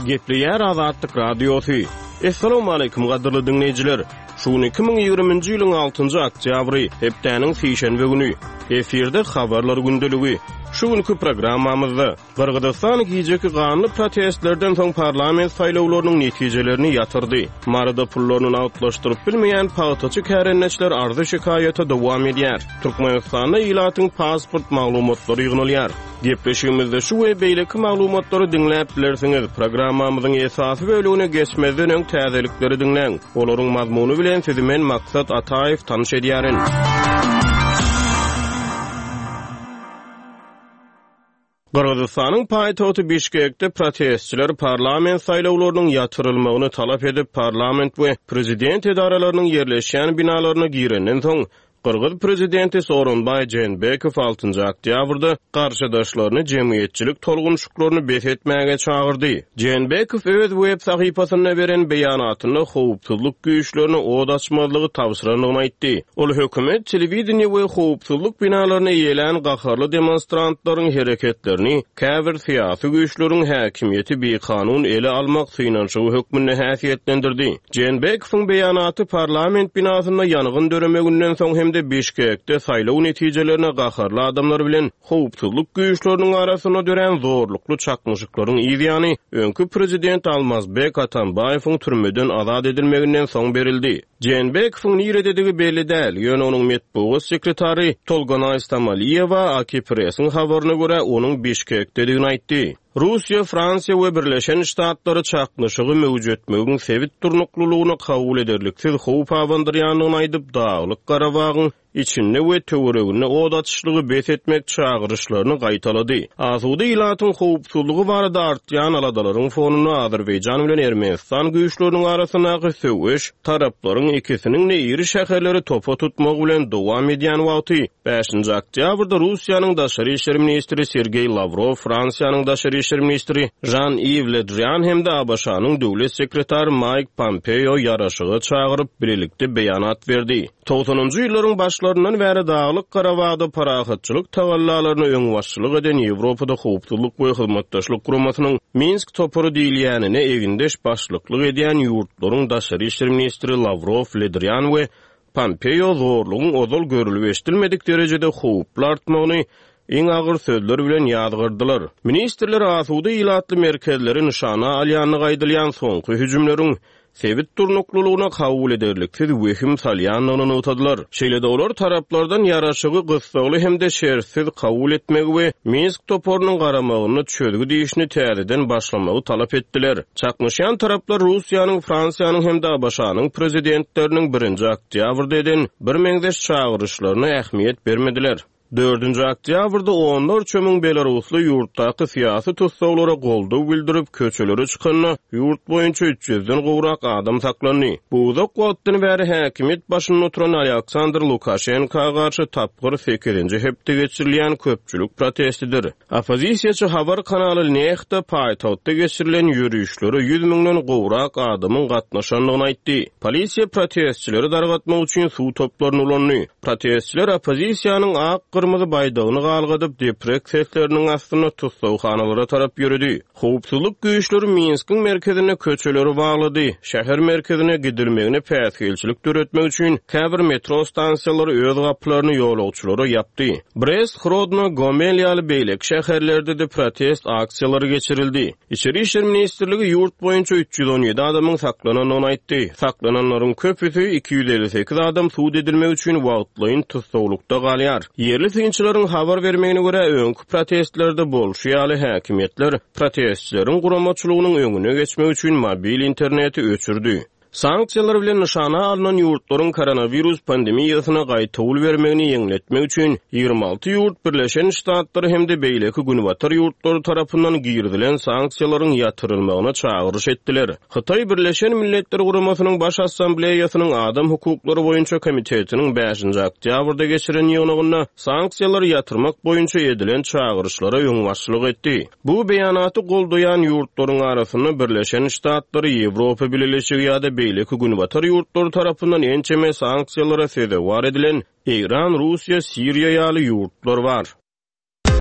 Gepleýär Azatlyk Radiosy. Essalawmaleýkim gadyrly diňleýjiler! Şu gün 2020-nji ýylyň altynjy oktýabry, hepdäniň sişenbe güni. Efirde Habarlar gündeligi. Şu günki programmamyzda. Gyrgyzystan gijeki ganly protestlerden soň parlament saýlawlarynyň netijelerini ýatyrdy. Maryda pullaryny nagtlaşdyryp bilmeýän pagtaçy kärendeçiler arzy-şikaýata dowam edýär. Türkmenistanda ilatyň pasport maglumatlary ýygnalýar. Gepleşigimizde şu we beýleki maglumatlary diňläp bilersiňiz. Programmamyzyň esasy bölegine geçmezden öň täzelikleri diňläň. Olaryň mazmuny bilen sizi men Maksat Ataýew tanyş edýärin. Gyrgyzystanyň paýtagty Bişkekde protestçiler parlament saýlawlarynyň ýatyrylmagyny talap edip, parlament we prezident edaralarynyň ýerleşýän binalaryna girenden soň, gyrgyz prezidenti Sooronbaý Jeenbekow altynjy oktýabrda garşydaşlaryny jemgyýetçilik tolgunyşyklaryny bes etmäge çagyrdy. Jeenbekow öz web sahypasynda beren beýanatynda howpsuzlyk güýçlerine od açmazlygy tabşyrandygyny aýtdy. Ol hökümet, telewideniýe we howpsuzlyk binalaryny eýelän gaharly demonstrantlaryň hereketlerini käbir syýasy güýçleriň häkimiýeti bikanun ele almak synanyşygy hökmünde häsiýetlendirdi. Jeenbekowyň beýanaty parlament binasynda ýangyn döremeginden soň hem-de Bişkekde saýlaw netijelerine gaharly adamlar bilen Howpsuzlyk güýçleriniň arasynda dörän zorlukly çaknyşyklaryň yzýany, öňki prezident Almazbek Atambaýewiň türmeden azat edilmeginden soň berildi. Jeenbekowyň nirededigi belli däl, ýöne onuň metbugat sekretary Tolganaý Stamaliýewa AKIpress-iň habaryna görä, onuň Bişkekdedigini aýtdy. Russiýa, Fransiýa we Birleşen Ştatlary çaknyşygy möwjetmegiň sebit durnuklylygyna kabul ederliksiz howp abandyrýandygyny aýdyp, Daglyk Garabagyň içinde we töwereginde ot açyşlygy bes etmek çagyryşlaryny gaýtalady. Asuda ilatyň howpsuzlygy barada artýan aladalaryň fonunda Azerbaýjan bilen Ermenistan güýçleriniň arasyndaky söweş taraplaryň ikisiniň-de iri şäherleri topa tutmagy bilen dowam edýän wagty, bäşinji oktýabrda Russiýanyň daşary işler ministri Sergeý Lawrow, Fransiýanyň daşary işler ministri Žan-Iw Le Drian hem-de ABŞ-nyň döwlet sekretary Maýk Pompeo ýaraşyga çagyryp, bilelikde beýanat berdi. Togsanynjy ýyllaryň başlaryndan bäri Daglyk Garabagda parahatçylyk tagallalaryna öňbaşçylyk eden Ýewropada Howpsuzlyk we Hyzmatdaşlyk Guramasynyň Minsk topary diýilýänine egindeş başlyklyk edýän ýurtlaryň daşary işler ministri Lawrow, Le Drian we Pompeo zorlugyň ozal görülip-eşidilmedik derejede howply artmagyny iň agyr sözler bilen ýazgardylar. Ministrler asuda ilatly merkezleri nyşana alýandygy aýdylýan soňky hüjümleriň sebit durnuklylygyna kabul ederliksiz wehim salýandygyny nygtadylar. Şeýle-de olar taraplardan ýaraşygy gyssagly hem-de şertsiz kabul etmegi we Minsk toparynyň garamagynda çözgüt işini täzeden başlamagy talap etdiler. Çaknyşýan taraplar Russiýanyň, Fransiýanyň hem-de ABŞ-nyň prezidentleriniň birinji oktýabrda eden birmeňzeş çagyryşlaryna ähmiýet bermediler. Dördünji oktýabrda onlarça müň belarusly ýurtdaky syýasy tussaglara goldaw bildirip, köçelere çykanda, ýurt boýunça üç ýüzden gowrak adam saklandy. Bu uzak wagtdan bäri häkimiýet başynda oturan Alýaksandr Lukaşenka garşy tapgyr sekizinji hepde geçirilýän köpçülik protestidir. Oppozisiýaçy habar kanaly Nexta paýtagtda geçirilen ýörişlere 100 müňden gowrak adamyň gatnaşandygyny aýtdy. Polisiýa protestçileri dargatmak üçin suw toplaryny ulandy. Protestçiler oppozisiýanyň ak-gyrmyzy baýdagyny galgadyp, deprek sesleriniň astynda tussaghanalara tarap ýöredi. Howpsuzlyk güýçleri Minskiň merkezinde köçeleri baglady, şäher merkezine gidilmegine päsgelçilik döretmek üçin käbir metro stansiýalary öz gapylaryny ýolagçylara ýapdy. Brest, Hrodno, Gomel ýaly beýleki şäherlerde-de protest aksiýalary geçirildi. Içeri işler ministrligi ýurt boýunça 317 adamyň saklanandygyny aýtdy. Saklananlaryň köpüsi, 258 adam sud edilmek üçin wagtlaýyn tussaglykda galýar. Ýerli synçylaryň habar bermegine görä, öňki protestlerde bolşy ýaly, häkimiýetler protestçileriň guramaçylygynyň öňüne geçmek üçin mobil interneti öçürdi. Sanksiýalar bilen nyşana alnan ýurtlaryň koronawirus pandemiýasyna gaýtawul bermegini ýeňletmek üçin 26 ýurt Birleşen Ştatlary hem-de beýleki günbatar ýurtlary tarapyndan girizilen sanksiýalaryň ýatyrylmagyna çagyryş etdiler. Hytaý Birleşen Milletler Guramasynyň Baş Assambleýasynyň Adam hukuklary boýunça komitetiniň bäşinji oktýabrda geçiren ýygnagynda sanksiýalary ýatyrmak boýunça edilen çagyryşlara öňbaşçylyk etdi. Bu beýanaty goldaýan ýurtlaryň arasynda Birleşen Ştatlary, Ýewropa Bileleşigi ýa-da beýleki günbatar ýurtlary tarapyndan ençeme sanksiýalara sezewar edilen Eýran, Russiýa, Siriýa ýaly ýurtlar bar.